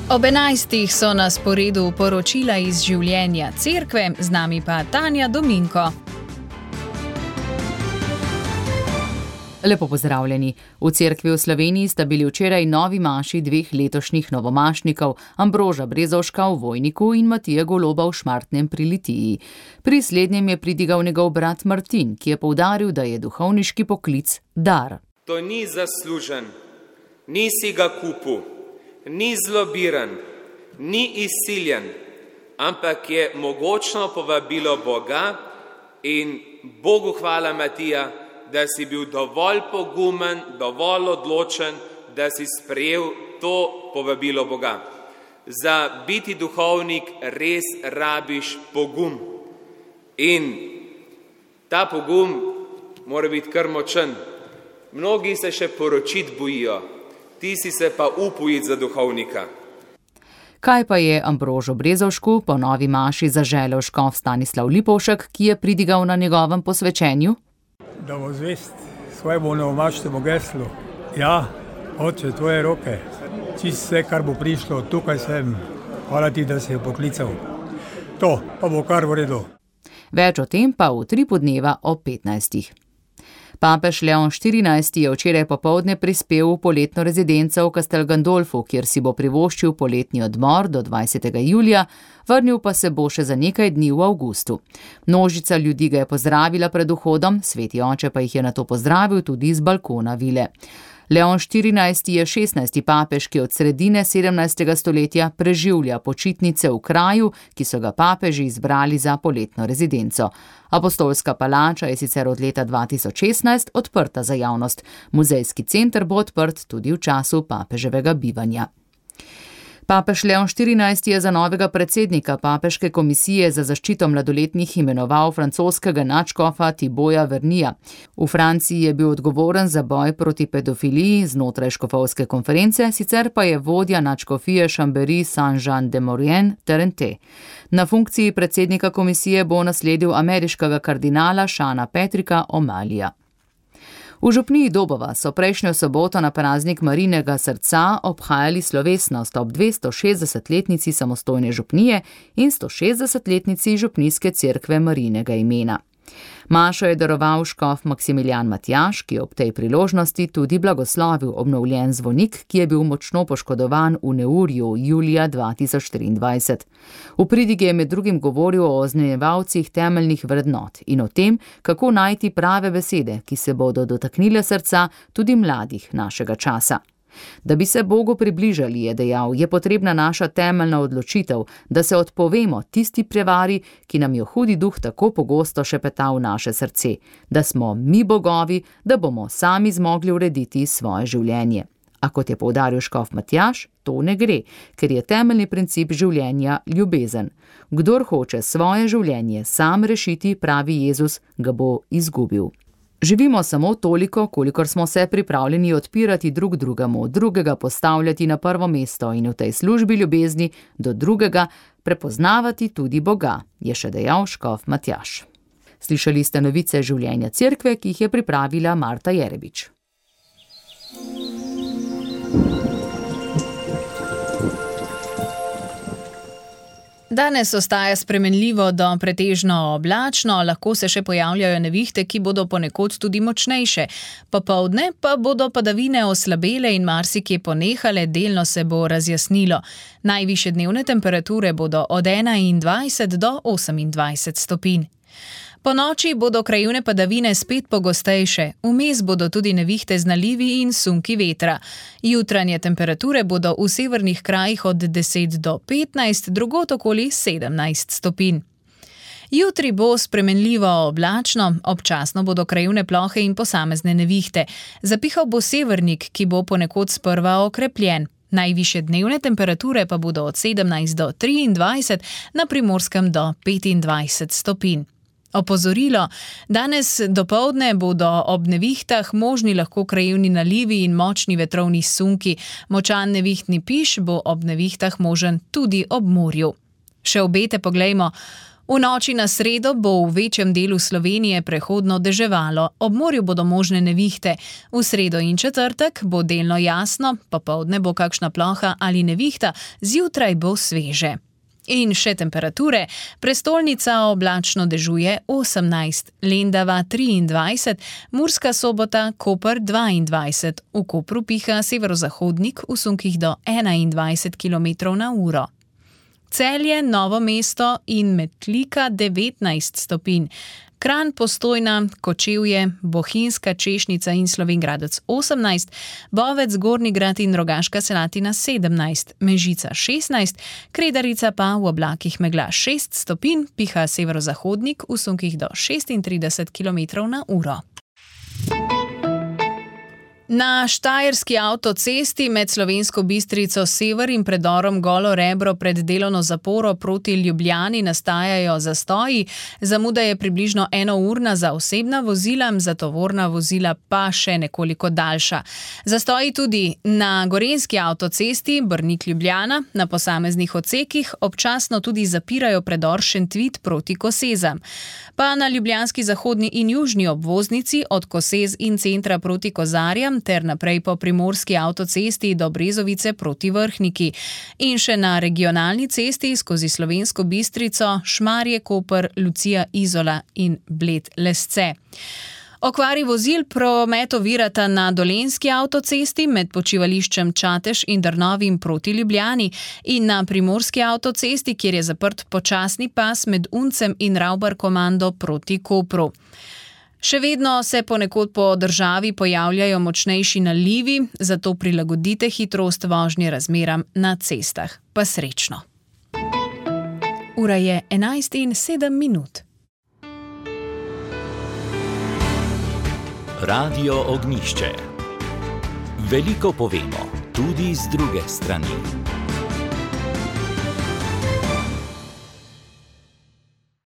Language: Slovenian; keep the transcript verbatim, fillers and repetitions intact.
Ob enajstih so na sporedu poročila iz življenja cerkve, z nami pa Tanja Dominko. Lepo pozdravljeni. V cerkvi v Sloveniji sta bili včeraj novi maši dveh letošnjih novomašnikov, Ambroža Brezovška v Vojniku in Matije Goloba v Šmartnem pri Litiji. Pri slednjem je pridigal njegov brat Martin, ki je poudaril, da je duhovniški poklic dar. To ni zaslužen, nisi ga kupil, ni zlobiran, ni izsiljen, ampak je mogočno povabilo Boga in Bogu hvala, Matija, da si bil dovolj pogumen, dovolj odločen, da si sprejel to povabilo Boga. Za biti duhovnik res rabiš pogum. In ta pogum mora biti kar močen. Mnogi se še poročiti bojijo, ti si se pa upojiti za duhovnika. Kaj pa je Ambrožu Brezovšku po novi maši zaželel škof Stanislav Lipovšek, ki je pridigal na njegovem posvečenju? Da bo zvest svojemu novomašnemu geslu. Ja, Oče, tvoje roke, čisto vse, kar bo prišlo, tukaj sem. Hvala ti, da si jo poklical. To pa bo kar v redu. Več o tem pa v tripu dneva o petnajstih. Papež Leon štirinajsti je včeraj popoldne prispel v poletno rezidenco v Castel Gandolfu, kjer si bo privoščil poletni odmor do dvajsetega julija, vrnil pa se bo še za nekaj dni v avgustu. Množica ljudi ga je pozdravila pred vhodom, sveti oče pa jih je nato pozdravil tudi z balkona vile. Leon štirinajsti je šestnajsti papež, ki od sredine sedemnajstega stoletja preživlja počitnice v kraju, ki so ga papeži izbrali za poletno rezidenco. Apostolska palača je sicer od leta dva tisoč šestnajst odprta za javnost. Muzejski center bo odprt tudi v času papeževega bivanja. Papež Leon štirinajsti je za novega predsednika Papeške komisije za zaščito mladoletnih imenoval francoskega nadškofa Thibaulta Vernija. V Franciji je bil odgovoren za boj proti pedofiliji znotraj škofovske konference, sicer pa je vodja nadškofije Chambéry Saint-Jean-de-Maurienne Terente. Na funkciji predsednika komisije bo nasledil ameriškega kardinala Seana Patricka O'Malleyja. V župniji Dobova so prejšnjo soboto na praznik Marijinega srca obhajali slovesnost ob dvestošestdesetletnici samostojne župnije in stošestdesetletnici župnijske cerkve Marijinega imena. Mašo je daroval škof Maksimilijan Matjaž, ki je ob tej priložnosti tudi blagoslovil obnovljen zvonik, ki je bil močno poškodovan v neurju julija dva tisoč triindvajset. V pridigi je med drugim govoril o oznanjevalcih temeljnih vrednot in o tem, kako najti prave besede, ki se bodo dotaknile srca tudi mladih našega časa. Da bi se Bogu približali, je dejal, je potrebna naša temeljna odločitev, da se odpovemo tisti prevari, ki nam jo hudi duh tako pogosto šepeta v naše srce, da smo mi bogovi, da bomo sami zmogli urediti svoje življenje. A kot je poudaril škof Matjaž, to ne gre, ker je temeljni princip življenja ljubezen. Kdor hoče svoje življenje sam rešiti, pravi Jezus, ga bo izgubil. Živimo samo toliko, kolikor smo se pripravljeni odpirati drug drugemu, drugega postavljati na prvo mesto in v tej službi ljubezni do drugega prepoznavati tudi Boga, je še dejal škof Matjaž. Slišali ste novice življenja cerkve, ki jih je pripravila Marta Jerebič. Danes ostaja spremenljivo do pretežno oblačno, lahko se še pojavljajo nevihte, ki bodo ponekod tudi močnejše. Popoldne pa bodo padavine oslabele in marsikje ponehale, delno se bo razjasnilo. Najvišje dnevne temperature bodo od enaindvajset do osemindvajset stopinj. Po noči bodo krajevne padavine spet pogostejše, vmes bodo tudi nevihte z nalivi in sunki vetra. Jutranje temperature bodo v severnih krajih od deset do petnajst, drugod okoli sedemnajst stopinj. Jutri bo spremenljivo oblačno, občasno bodo krajevne plohe in posamezne nevihte. Zapihal bo severnik, ki bo ponekod sprva okrepljen. Najvišje dnevne temperature pa bodo od sedemnajst do triindvajset, na Primorskem do petindvajset stopinj. Opozorilo, danes dopoldne bodo ob nevihtah možni lahko krajevni nalivi in močni vetrovni sunki. Močan nevihtni piš bo ob nevihtah možen tudi ob morju. Še obete poglejmo. V noči na sredo bo v večjem delu Slovenije prehodno deževalo, ob morju bodo možne nevihte. V sredo in četrtek bo delno jasno, popoldne bo kakšna ploha ali nevihta, zjutraj bo sveže. In še temperature. Prestolnica oblačno dežuje osemnajst, Lendava triindvajset, Murska Sobota, Koper dvaindvajset, v Kopru piha severozahodnik v sunkih do enaindvajset kilometrov na uro. Celje, Novo mesto in Metlika devetnajst stopinj. Kranj, Postojna, Kočevje, Bohinjska, Češnica in Slovenj Gradec osemnajst, Bovec, Gornji Grad in Rogaška Slatina sedemnajst, Mežica šestnajst, Kredarica pa v oblakih megla šest stopinj, piha severozahodnik v sunkih do šestintrideset kilometrov na uro. Na štajerski avtocesti med Slovensko Bistrico sever in predorom Golo Rebro pred delovno zaporo proti Ljubljani nastajajo zastoji. Zamuda je približno enourna za osebna vozila, za tovorna vozila pa še nekoliko daljša. Zastoji tudi na gorenjski avtocesti Brnik-Ljubljana, na posameznih odsekih občasno tudi zapirajo predor Šentvid proti Kosezam. Pa na ljubljanski zahodni in južni obvoznici od Kosez in centra proti Kozarjam ter naprej po primorski avtocesti do Brezovice proti Vrhniki. In še na regionalni cesti skozi Slovensko Bistrico, Šmarje, Koper, Lucija, Izola in Bled Lesce. Okvari vozil promet ovirata na dolenjski avtocesti med počivališčem Čatež in Drnovim proti Ljubljani in na primorski avtocesti, kjer je zaprt počasni pas med Uncem in Ravbar komando proti Kopru. Še vedno se ponekod po državi pojavljajo močnejši nalivi, zato prilagodite hitrost vožnje razmeram na cestah. Pa srečno. Ura je enajst in sedem minut. Radio Ognjišče. Veliko povemo, tudi z druge strani.